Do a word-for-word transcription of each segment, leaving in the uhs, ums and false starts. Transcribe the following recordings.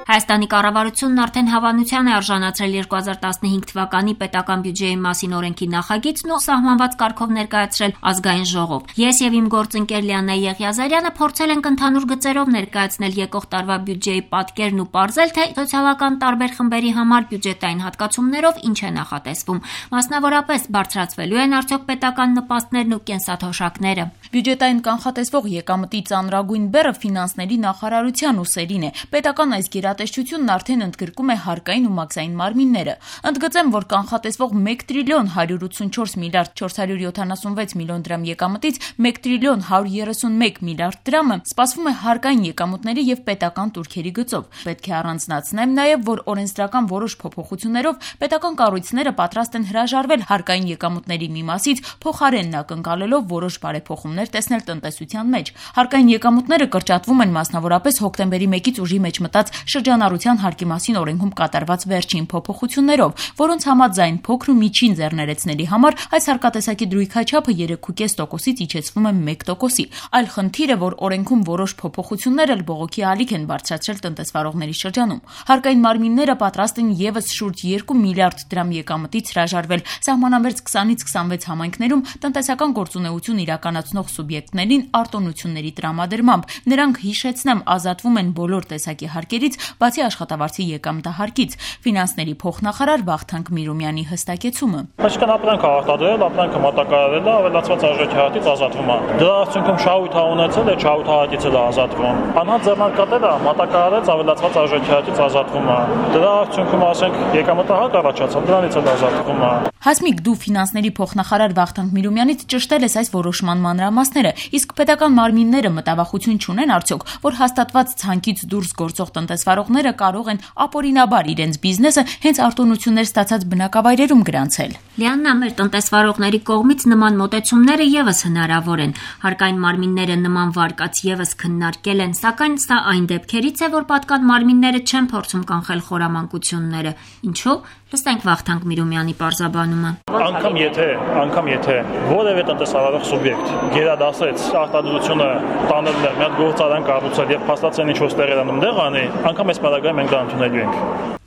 Հայաստանի կառավարությունն արդեն հավանության է արժանացրել երկու հազար տասնհինգ թվականի պետական բյուջեի մասին օրենքի նախագիծն ու սահմանված կարգով ներկայացրել ազգային ժողով։ Ես եւ իմ գործընկեր Լիաննա Եղիազարյանը փորձել ենք ընդհանուր գծերով ներկայացնել եկող տարվա բյուջեի պատկերն ու պարզել, թե սոցիալական տարբեր խմբերի համար բյուջետային հատկացումներով ինչ է նախատեսվում։ Մասնավորապես բարձրացվելու են արդյոք պետական նպաստներն ու կենսաթոշակները։ Բյուջետային կանխատեսվող եկամտի ծանրագույն բեռը ֆինանսների նախարարության ուսերին է։ Պետական այս գերատեսչությունն արդեն ընդգրկում է հարկային ու մաքսային մարմինները։ Ընդգծեմ, որ կանխատեսվող մեկ տրիլիոն հարյուր ութսունչորս միլիարդ չորս հարյուր յոթանասունվեց միլիոն դրամ եկամտից մեկ տրիլիոն հարյուր երեսունմեկ միլիարդ դրամը սպասվում է հարկային եկամուտների եւ պետական տուրքերի գծով։ Պետք է առանձնացնեմ նաեւ, որ օրենսդրական որոշ փոփոխություններով պետական կառույցները պատրաստ են հրաժարվել հարկային եկամուտների մի մասից, փոխարենն ակնկալելով որոշ բարեփոխումներ տեսնել տնտեսության մեջ։ Հարկային եկամուտները կրճատվում են մասնավորապես հոկտեմբերի մեկից ուժի մեջ մտած շրջանառության հարկի մասին օրենքում կատարված վերջին փոփոխություններով, որոնց համաձայն փոքր ու միջին ձեռներեցների համար այս հարկատեսակի դրույքաչափը երեք կόμμα պենս տոկոսից իջեցվում է մեկ տոկոսի։ Այլ խնդիր է, որ օրենքում որոշ փոփոխություններ էլ բողոքի ալիք են բարձրացրել տնտեսվարողների շրջանում։ Հարկային մարմինները պատրաստ են եւս շուրջ երկու միլիարդ դրամ եկամտից հրաժարվել սահմանամերձ քսանից քսանվեց համայնքներում տնտեսական գործունեություն իրականացնող սուբյեկտներին արտոնությունների տրամադրմամբ։ Նրանք, հիշեցնեմ, ազատվում են բոլոր տեսակի հարկերից, բացի աշխատավարձի եկամտահարկից։ Ֆինանսների փոխնախարար Վախթանգ Միրումյանի հստակեցումը։ Այսինքն ապրանք արտադրել, ապրանքը մատակարարել է, ավելացված արժեքահատից ազատվում է։ Դրա արդյունքում շահույթ է ունեցել, այդ շահույթ հատից էլ է ազատվում։ Անհատ ձեռնարկատերը մատակարարեց, ավելացված արժեքահատից ազատվում է։ Դրա արդյունքում ասենք եկամտահարկ առաջացավ, դրանից էլ ազատվում է։ Հասմիկ, դու ֆինանսների փոխնախարար Վախթանգ Միրումյանից ճշտել ես այս որոշման մանրամասները, իսկ պետական մարմինները մտավախություն չունեն արդյոք, որ հաստատված ցանկից դուրս գործող տնտեսվարողները կարող են ապօրինաբար իրենց բիզնեսը հենց արտոնություններ ստացած բնակավայրերում գրանցել։ Լիաննա, մեր տնտեսվարողների կողմից նման մոտեցումները եւս հնարավոր են։ Հարկային մարմինները նման վարկած եւս քննարկել են, սակայն սա այն դեպքերից է, որ պատկան մարմինները չեն փորձում կանխել խորամանկությունները։ Ինչու՞։ Լսենք Վախթանգ Միրումյանի պարզաբանումը։ Անկամ եթե, անկամ եթե որևէ տնտեսավարող սուբյեկտ գերադասեց արտադրությունը տանել մի հատ գործարան կառուցել եւ փաստացեն ինչ-որ ստեղերանում դեղ անի, անկամ այս պարագայում մենք դա ընդունելու ենք։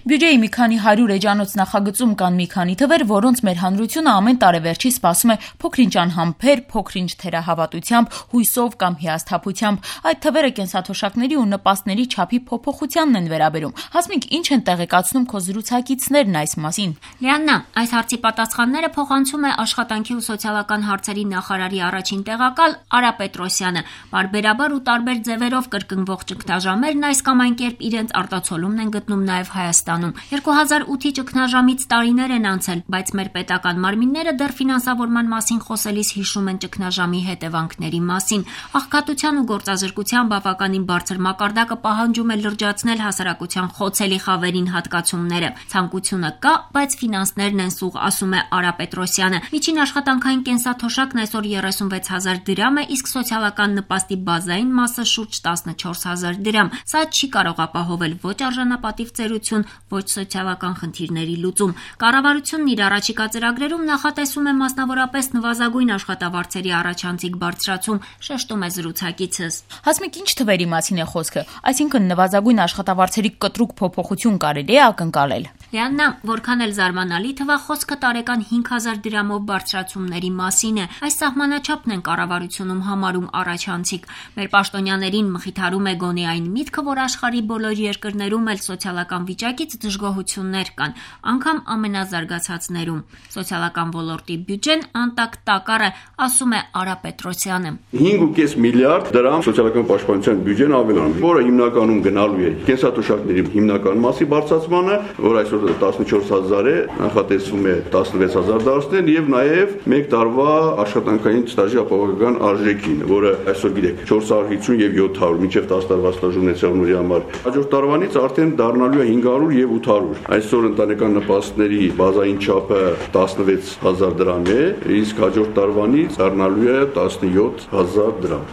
Բյուջեի մի քանի հարյուր էջանոց նախագծում կան մի քանի թվեր, որոնց մեր հանրությունը ամեն տարեվերջի սպասում է փոքրինչ անհամբեր, փոքրինչ թերահավատությամբ, հույսով կամ հիասթափությամբ։ Այդ թվերը կենսաթոշակների ու նպաստների չափի փոփոխությանն են վերաբերում։ Հասմիկ, ինչ են տեղեկացնում քո զրուցակիցներն այս մասին։ Լիաննա, այս հարցի պատասխանները փոխանցում է աշխատանքի ու սոցիալական հարցերի նախարարի առաջին տեղակալ Արա Պետրոսյանը։ Բարբերաբար ու տարբեր ձևերով կրկնվող ճգնաժամերն այս կամ այն կերպ իրենց արտացոլումն են գտնում նաև Հայաստանում։ երկու հազար ութի ճգնաժամից տարիներ են անցել, բայց մեր պետական մարմինները դեռ ֆինանսավորման մասին խոսելիս հիշում են ճգնաժամի հետևանքների մասին։ Աղքատության ու գործազրկության բավականին բարձր մակարդակը պահանջում է լրջացնել հասարակության խոցելի խավերին հատկացումները։ Ցանկությունը կա, բայց ֆինանսներն են սուղ, ասում է Արա Պետրոսյանը։ Միջին աշխատանքային կենսաթոշակն այսօր երեսունվեց հազար դրամ է, իսկ սոցիալական նպաստի բազային մասը շուրջ տասնչորս հազար դրամ։ Սա չի կարող ապահովել ոչ արժանապատիվ ծերություն, ոչ սոցիալական խնդիրների լուծում։ Կառավարությունն իր առաջիկա ծրագրերում նախատեսում է մասնավորապես նվազագույն աշխատավարձերի առաջանցիկ բարձրացում, շեշտում է զրուցակիցս։ Հասմիկ, ինչ թվերի մասին է խոսքը։ Այսինքն նվազագույն աշխատավարձերի կտրուկ փոփոխություն կարելի է ակնկալել։ Լիաննա, որքան էլ զարմանալի թվա, խոսքը տարեկան հինգ հազար դրամով բարձրացումների մասին է։ Այս սահմանաչափն են կառավարությունում համարում առաջանցիկ։ Մեր պաշտոնյաներին մխիթարում է գոնե այն միտքը, որ աշխարհի բոլոր երկրներում էլ սոցիալական վիճակից դժգոհություններ կան, անգամ ամենազարգացածներում։ Սոցիալական ոլորտի բյուջեն անտակ տակառ է, ասում է Արա Պետրոսյանը։ հինգ կόμμα պենս միլիարդ դրամ սոցիալական պաշտպանության բյուջեն ավելանում, որը հիմնականում գնալու է կենսաթոշակների հիմնական մասի բարձրացմանը, որ այսօր տասնչորս հազար է, նախատեսվում է տասնվեց հազար դարձնել եւ նաեւ մեկ տարվա աշխատանքային ստաժի ապահովական արժեքին, որը այսօր գիտեք չորս հարյուր հիսուն եւ յոթ հարյուր մինչեւ տասը տարվա ստաժ ունեցողների համար հաջորդ տարվանից արդեն դառնալու է հինգ հարյուր եւ ութ հարյուր։ Այսօր ընտանեկան նպաստների բազային չափը տասնվեց հազար դրամ է, իսկ հաջորդ տարվանից դառնալու է տասնյոթ հազար դրամ։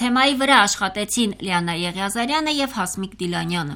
Թեմայի վրա աշխատեցին Լիաննա Եղիազարյանը եւ Հասմիկ Դիլանյանը։